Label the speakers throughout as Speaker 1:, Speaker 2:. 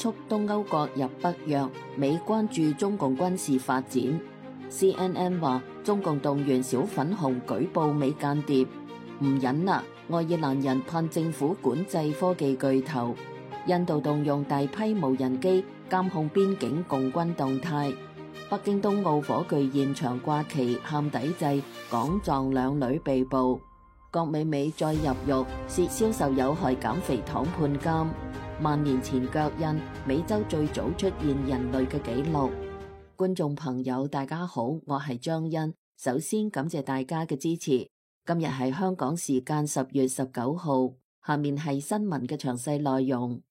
Speaker 1: 促東歐國入北約，美關注中共軍事發展。CNN 話中共動員小粉紅舉報美間諜，唔忍啦！愛爾蘭人盼政府管制科技巨頭。印度動用大批無人機監控邊境共軍動態。北京冬奧火炬現場掛旗喊抵制，港藏兩女被捕。郭美美再入獄，涉銷售有害減肥糖判監。萬年前腳印，美洲最早出現人類嘅紀錄。觀眾朋友大家好，我係張欣，首先感謝大家嘅支持。今日係香港時間10月19號，下面係新聞嘅詳細內容。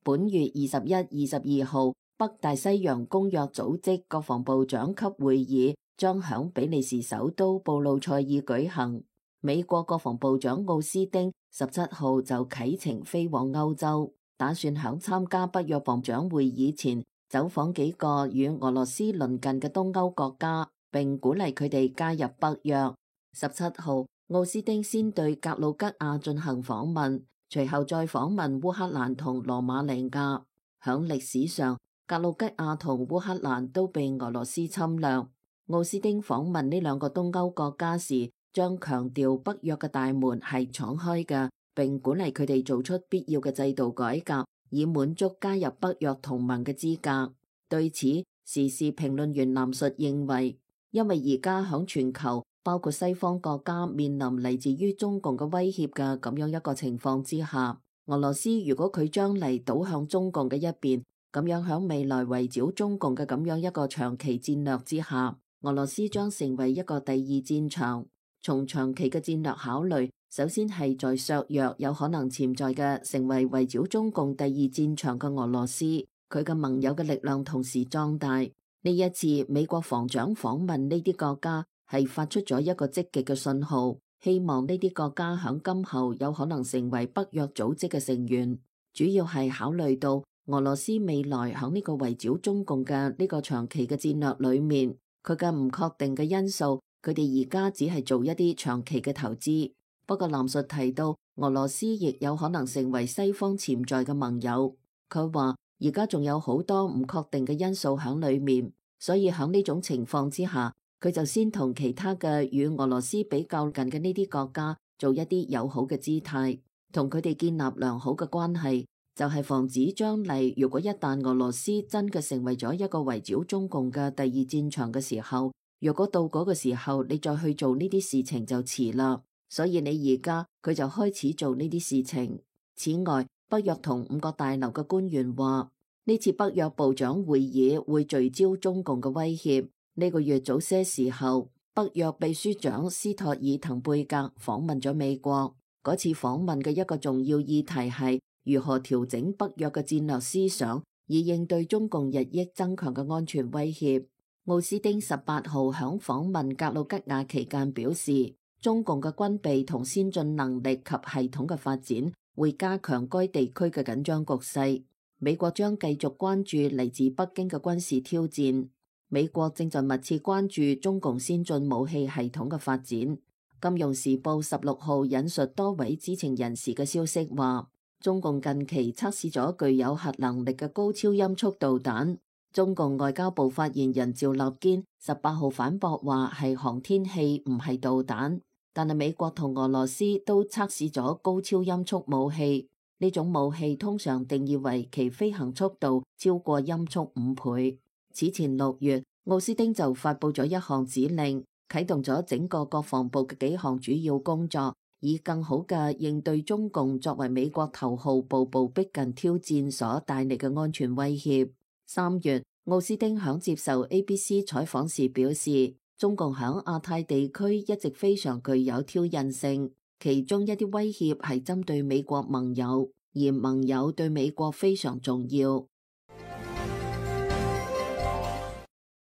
Speaker 1: 本月21、22號，北大西洋公約組織國防部長級會議將響比利時首都布魯塞爾舉行。美國國防部長奧斯汀17號就啟程飛往歐洲，打算響參加北約防長會議前走訪幾個與俄羅斯鄰近嘅東歐國家，並鼓勵佢哋加入北約。17號，奧斯汀先對格魯吉亞進行訪問，隨後再訪問烏克蘭同羅馬尼亞。響歷史上，格魯吉亞同烏克蘭都被俄羅斯侵略。奧斯汀訪問呢兩個東歐國家時，將強調北約嘅大門係敞開嘅，並鼓勵佢哋做出必要嘅制度改革，以滿足加入北約同盟嘅資格。對此，時事評論員藍述認為，因為而家響全球，包括西方國家面臨嚟自於中共嘅威脅嘅咁樣一個情況之下，俄羅斯如果佢將嚟倒向中共嘅一邊，咁樣響未來圍剿中共嘅咁樣一個長期戰略之下，俄羅斯將成為一個第二戰場。從長期嘅戰略考慮，首先係在削弱有可能潛在嘅成為圍剿中共第二戰場嘅俄羅斯，佢嘅盟友嘅力量同時壯大。呢一次美國防長訪問呢啲國家，係發出咗一個積極嘅信號，希望呢啲國家響今後有可能成為北約組織嘅成員。主要係考慮到俄羅斯未來響呢個圍剿中共嘅呢個長期嘅戰略裏面，佢嘅唔確定嘅因素。佢哋而家只係做一啲長期嘅投資，不過藍述提到俄羅斯亦有可能成為西方潛在嘅盟友。佢話而家仲有好多唔確定嘅因素喺裏面，所以喺呢種情況之下，佢就先同其他嘅與俄羅斯比較近嘅呢啲國家做一啲友好嘅姿態，同佢哋建立良好嘅關係，就係防止將來如果一旦俄羅斯真嘅成為咗一個圍剿中共嘅第二戰場嘅時候，如果到嗰個時候你再去做呢啲事情就遲啦，所以你而家佢就開始做呢啲事情。此外，北約同5個大樓嘅官員話，呢次北約部長會議會聚焦中共嘅威脅。呢個月早些時候，北約秘書長斯托爾滕貝格訪問咗美國。嗰次訪問嘅一個重要議題係如何調整北約嘅戰略思想，以應對中共日益增強嘅安全威脅。奧斯汀18號響訪問格魯吉亞期間表示，中共嘅軍備同先進能力及系統嘅發展會加強該地區嘅緊張局勢。美國將繼續關注嚟自北京嘅軍事挑戰。美國正在密切關注中共先進武器系統嘅發展。金融時報16號引述多位知情人士嘅消息話，中共近期測試咗具有核能力嘅高超音速導彈。中共外交部發言人趙立堅18號反駁話係航天器唔係導彈，但係美國同俄羅斯都測試咗高超音速武器。呢種武器通常定義為其飛行速度超過音速5倍。此前6月，奧斯汀就發佈咗一項指令，啟動咗整個國防部嘅幾項主要工作，以更好嘅應對中共作為美國頭號步步逼近挑戰所帶嚟嘅安全威脅。3月，奧斯汀響接受 ABC 採訪時表示，中共響亞太地區一直非常具有挑釁性，其中一啲威脅係針對美國盟友，而盟友對美國非常重要。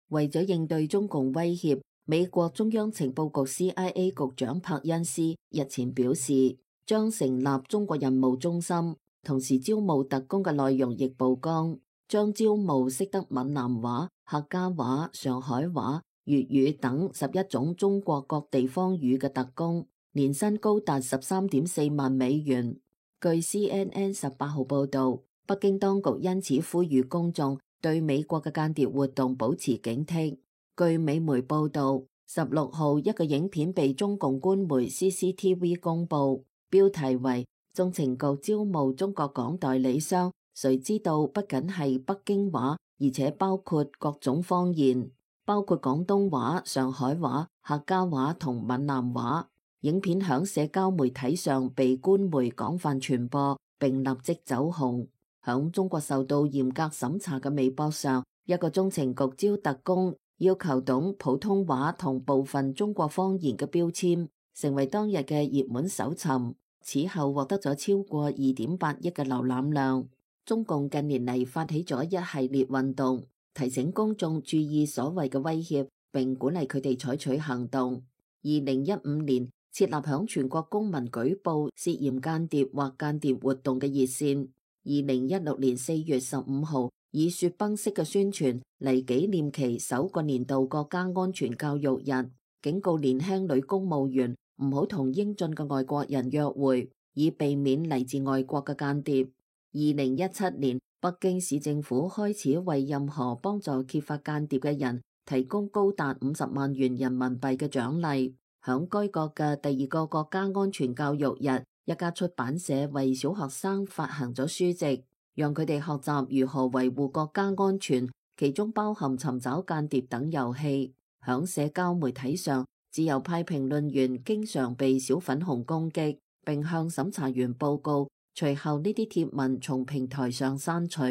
Speaker 1: 為咗應對中共威脅，美國中央情報局 CIA 局長柏恩斯日前表示，將成立中國任務中心，同時招募特工嘅內容亦曝光。將招募識得閩南話、客家話、上海話、粵語等11種中國各地方語嘅特工，年薪高達13.4萬美元。據 CNN 18號報導，北京當局因此呼籲公眾對美國嘅間諜活動保持警惕。據美媒報導，16號一個影片被中共官媒 CCTV 公佈，標題為中情局招募中國港代理商，誰知道不僅係北京話，而且包括各種方言，包括廣東話、上海話、客家話同閩南話。影片響社交媒體上被官媒廣泛傳播，並立即走紅。響中國受到嚴格審查嘅微博上，一個中情局招特工，要求懂普通話同部分中國方言嘅標籤，成為當日嘅熱門搜尋。此後獲得咗超過2.8億嘅瀏覽量。中共近年嚟發起咗一系列運動，提醒公眾注意所謂嘅威脅，並鼓勵佢哋採取行動。2015年設立響全國公民舉報涉嫌間諜或間諜活動嘅熱線。2016年4月15號，以雪崩式嘅宣傳嚟紀念其首個年度國家安全教育日，警告年輕女公務員唔好同英俊嘅外國人約會，以避免嚟自外國嘅間諜。2017年，北京市政府開始為任何幫助揭發間諜嘅人提供高達50萬元人民幣嘅獎勵。響該國嘅第2個國家安全教育日，一家出版社為小學生發行咗書籍，讓佢哋學習如何維護國家安全，其中包含尋找間諜等遊戲。響社交媒體上，自由派評論員經常被小粉紅攻擊，並向審查員報告，隨後呢啲貼文從平台上刪除。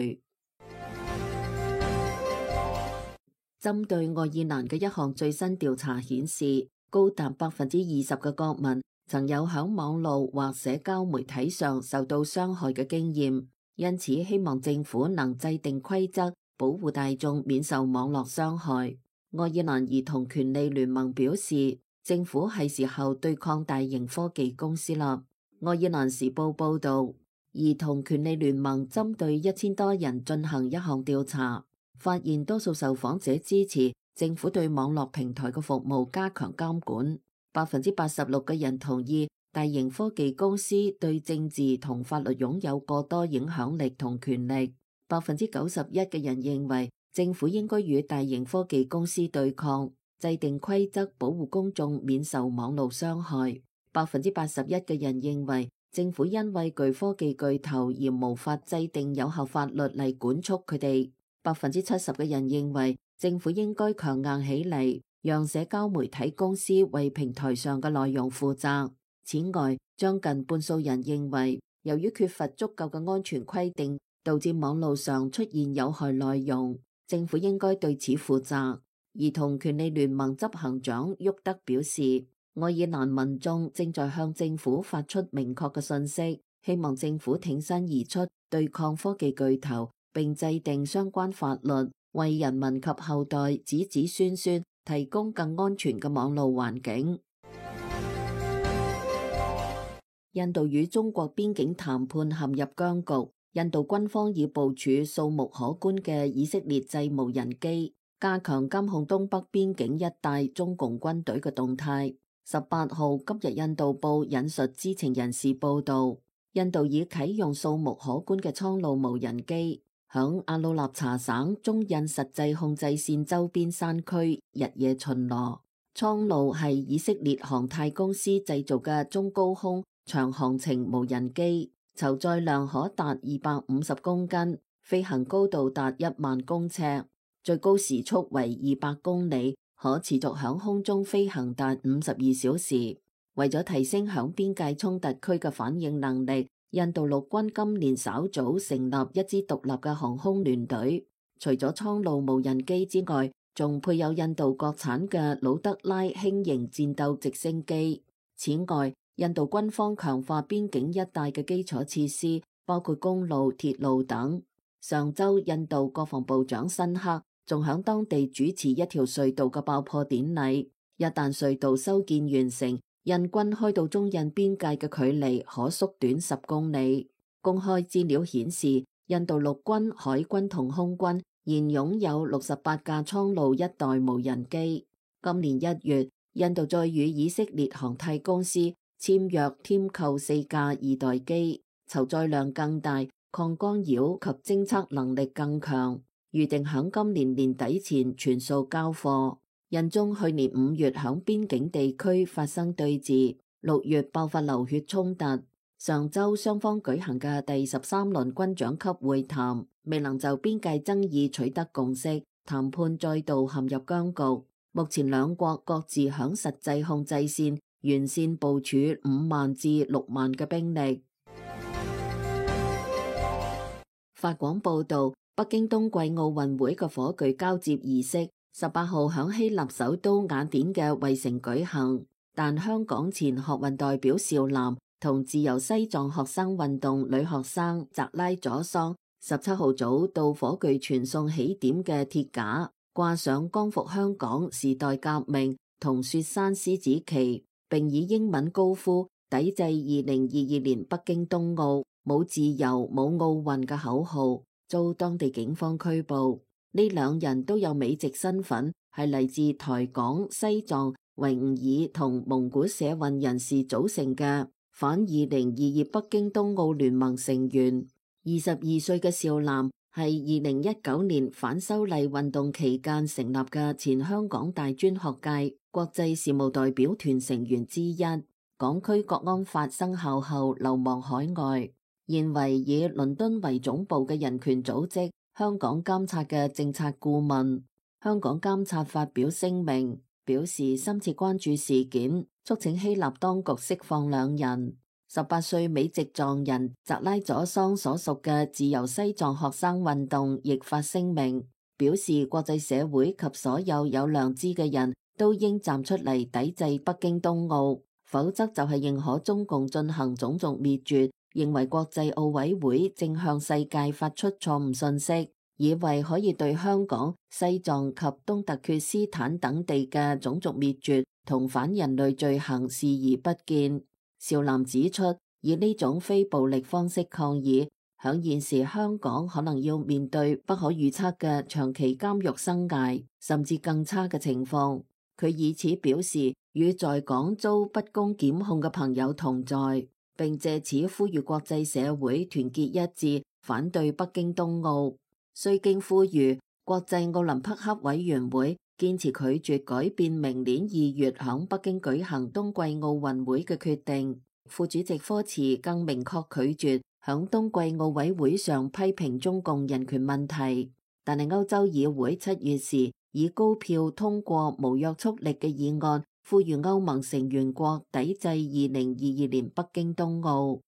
Speaker 1: 針對愛爾蘭嘅一項最新調查顯示，高達20%嘅國民曾有響網絡或社交媒體上受到傷害嘅經驗，因此希望政府能制定規則，保護大眾免受網絡傷害。愛爾蘭兒童權利聯盟表示，政府係時候對抗大型科技公司啦。愛爾蘭時報報導，兒童權利聯盟針對1000多人進行一項調查，發現多數受訪者支持政府對網絡平台嘅服務加強監管。86%嘅人同意大型科技公司對政治同法律擁有過多影響力同權力。91%嘅人認為政府應該與大型科技公司對抗，制定規則保護公眾免受網絡傷害。81%嘅人認為政府因為巨科技巨頭而無法制定有效法律嚟管束佢哋。70%嘅人認為政府應該強硬起嚟，讓社交媒體公司為平台上嘅內容負責。此外，將近半數人認為，由於缺乏足夠嘅安全規定，導致網絡上出現有害內容，政府應該對此負責。兒童權利聯盟執行長沃德表示，愛爾蘭民眾正在向政府發出明確嘅信息，希望政府挺身而出對抗科技巨頭，並制定相關法律，為人民及後代子子孫孫提供更安全嘅網絡環境。印度與中國邊境談判陷入僵局，印度軍方已部署數目可觀嘅以色列製無人機，加強監控東北邊境一帶中共軍隊嘅動態。18號，今日印度報引述知情人士報道，印度已啟用數目可觀嘅蒼鷺無人機，響阿魯納查省中印實際控制線周邊山區日夜巡邏。蒼鷺係以色列航太公司製造嘅中高空長航程無人機，籌載量可達250公斤，飛行高度達1萬公尺，最高時速為200公里，可持續響空中飛行達52小時。為咗提升響邊界衝突區嘅反應能力，印度陸軍今年稍早成立一支獨立嘅航空聯隊。除咗蒼鷺無人機之外，仲配有印度國產嘅魯德拉輕型戰鬥直升機。此外，印度軍方強化邊境一帶嘅基礎設施，包括公路、鐵路等。上周，印度國防部長辛克仲響當地主持一條隧道嘅爆破典禮。一旦隧道修建完成，印軍開到中印邊界嘅距離可縮短10公里。公開資料顯示，印度陸軍、海軍同空軍現擁有68架蒼鷺一代無人機。今年1月，印度再與以色列航太公司簽約添購4架二代機，籌載量更大，抗干擾及偵測能力更強，預定響今年年底前全數交貨。印中去年5月響邊境地區發生對峙，6月爆發流血衝突。上週雙方舉行嘅第13輪軍長級會談，未能就邊界爭議取得共識，談判再度陷入僵局。目前兩國各自響實際控制線沿線部署5萬至6萬嘅兵力。法廣報道，北京冬季奧運會嘅火炬交接儀式18號響希臘首都雅典嘅衛城舉行，但香港前學運代表邵嵐同自由西藏學生運動女學生扎拉佐桑17號早到火炬傳送起點嘅鐵架，掛上光復香港、時代革命同雪山獅子旗，並以英文高呼抵制2022年北京冬奧冇自由冇奧運嘅口號，遭當地警方拘捕。呢兩人都有美籍身份，係嚟自台港、西藏、維吾爾同蒙古社運人士組成嘅反2022北京冬奧聯盟成員。22歲嘅邵嵐係2019年反修例運動期間成立嘅前香港大專學界國際事務代表團成員之一。港區國安法生效後流亡海外，現為以倫敦為總部嘅人權組織香港監察嘅政策顧問。香港監察發表聲明，表示深切關注事件，促請希臘當局釋放兩人。18歲美籍藏人扎拉佐桑所屬嘅自由西藏學生運動亦發聲明，表示國際社會及所有有良知嘅人都應站出嚟抵制北京冬奧，否則就係認可中共進行種族滅絕，認為國際奧委會正向世界發出錯誤信息，以為可以對香港、西藏及東突厥斯坦等地嘅種族滅絕同反人類罪行視而不見。邵嵐指出，以呢種非暴力方式抗議，響現時香港可能要面對不可預測嘅長期監獄生涯，甚至更差嘅情況。佢以此表示與在港遭不公檢控嘅朋友同在，並借此呼籲國際社會團結一致，反對北京冬奧。雖經呼籲，國際奧林匹克委員會堅持拒絕改變明年2月響北京舉行冬季奧運會嘅決定。副主席科茨更明確拒絕響冬季奧委會上批評中共人權問題。但係歐洲議會7月時以高票通過無約束力嘅議案，呼籲歐盟成員國抵制2022年北京冬奧。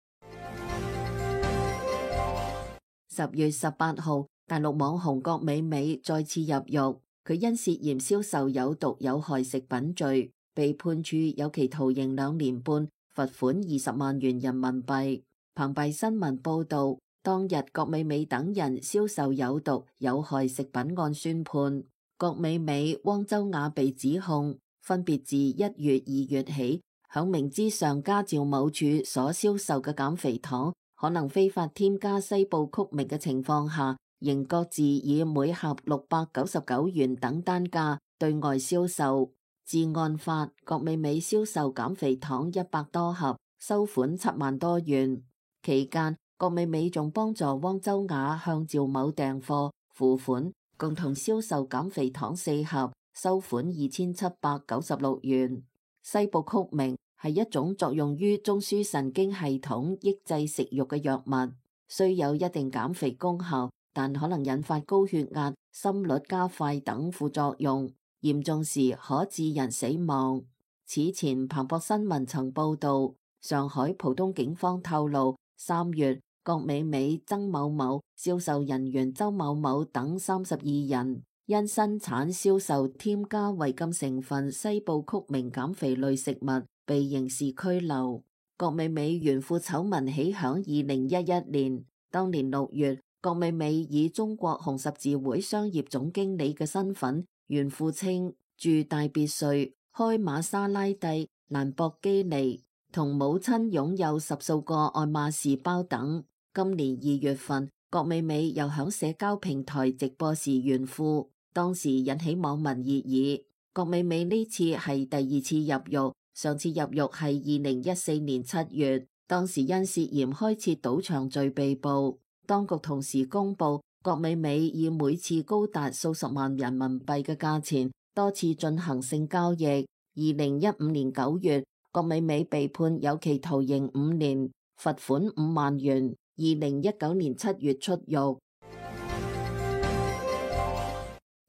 Speaker 1: 10月18號，大陸網紅郭美美再次入獄。佢因涉嫌銷售有毒有害食品罪，被判處有期徒刑2年半，罰款20萬元人民幣。澎湃新聞報道，當日郭美美等人銷售有毒有害食品案宣判，郭美美、汪周雅被指控分別自1月、2月起，響明知上家趙某處所銷售嘅減肥糖可能非法添加西部曲明嘅情況下，仍各自以每盒699元等單價對外銷售。自案發，郭美美銷售減肥糖100多盒，收款7萬多元。期間，郭美美仲幫助汪周雅向趙某訂貨付款，共同銷售減肥糖4盒，收款2796元。西部曲明係一種作用於中樞神經系統抑制食慾嘅藥物，雖有一定減肥功效，但可能引發高血壓、心率加快等副作用，嚴重時可致人死亡。此前彭博新聞曾報道，上海浦東警方透露，3月郭美美、曾某某、銷售人員周某某等32人因生產銷售添加違禁成分西部曲明減肥類食物被刑事拘留。郭美美炫富醜聞起響2011年，當年6月，郭美美以中國紅十字會商業總經理嘅身份炫富稱住大別墅、開瑪莎拉蒂、蘭博基尼，同母親擁有10數個愛馬仕包等。今年2月份，郭美美又響社交平台直播時炫富，當時引起網民熱議。郭美美呢次係第二次入獄，上次入獄係2014年7月，當時因涉嫌開設賭場罪被捕。當局同時公布，郭美美以每次高達數十萬人民幣嘅價錢多次進行性交易。2015年9月，郭美美被判有期徒刑5年，罰款5萬元。2019年7月出獄。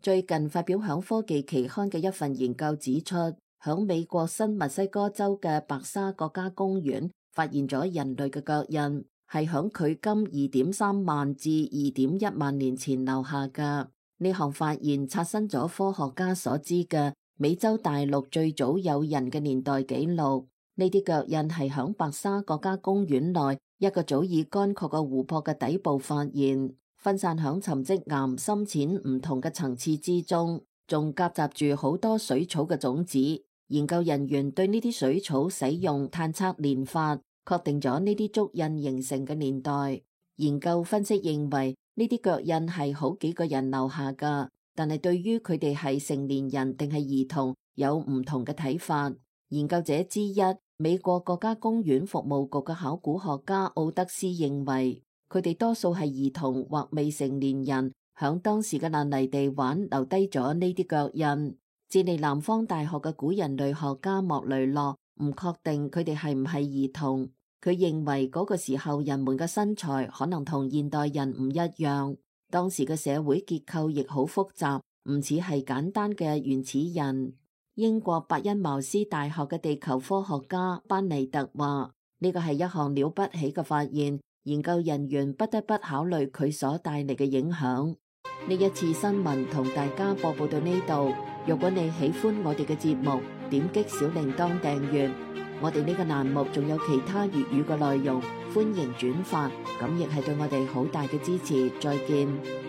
Speaker 1: 最近發表響科技期刊嘅一份研究指出，響美國新墨西哥州嘅白沙國家公園發現咗人類嘅腳印，係響距今2.3萬至2.1萬年前留下嘅。呢項發現刷新咗科學家所知嘅美洲大陸最早有人嘅年代紀錄。呢啲腳印係響白沙國家公園內一個早已乾涸嘅湖泊嘅底部發現，分散響沉積岩深淺唔同嘅層次之中，仲夾雜住好多水草嘅種子。研究人員對呢啲水草使用探測年法，確定咗呢啲足印形成嘅年代。研究分析認為呢啲腳印係好幾個人留下㗎，但係對於佢哋係成年人定係兒童有唔同嘅睇法。研究者之一，美國國家公園服務局嘅考古學家奧德斯認為，佢哋多數係兒童或未成年人，響當時嘅爛泥地玩留低咗呢啲腳印。智利南方大學嘅古人類學家莫雷諾唔確定佢哋係唔係兒童，佢認為嗰個時候人們嘅身材可能同現代人唔一樣，當時嘅社會結構亦好複雜，唔似係簡單嘅原始人。英國伯恩茅斯大學嘅地球科學家班尼特話：呢個係一項了不起嘅發現，研究人員不得不考慮佢所帶嚟嘅影響。呢一次新聞同大家播報到呢度。如果你喜歡我哋嘅節目，點擊小鈴鐺訂閱。我哋呢個欄目仲有其他粵語嘅內容，歡迎轉發，咁亦係對我哋好大嘅支持。再見。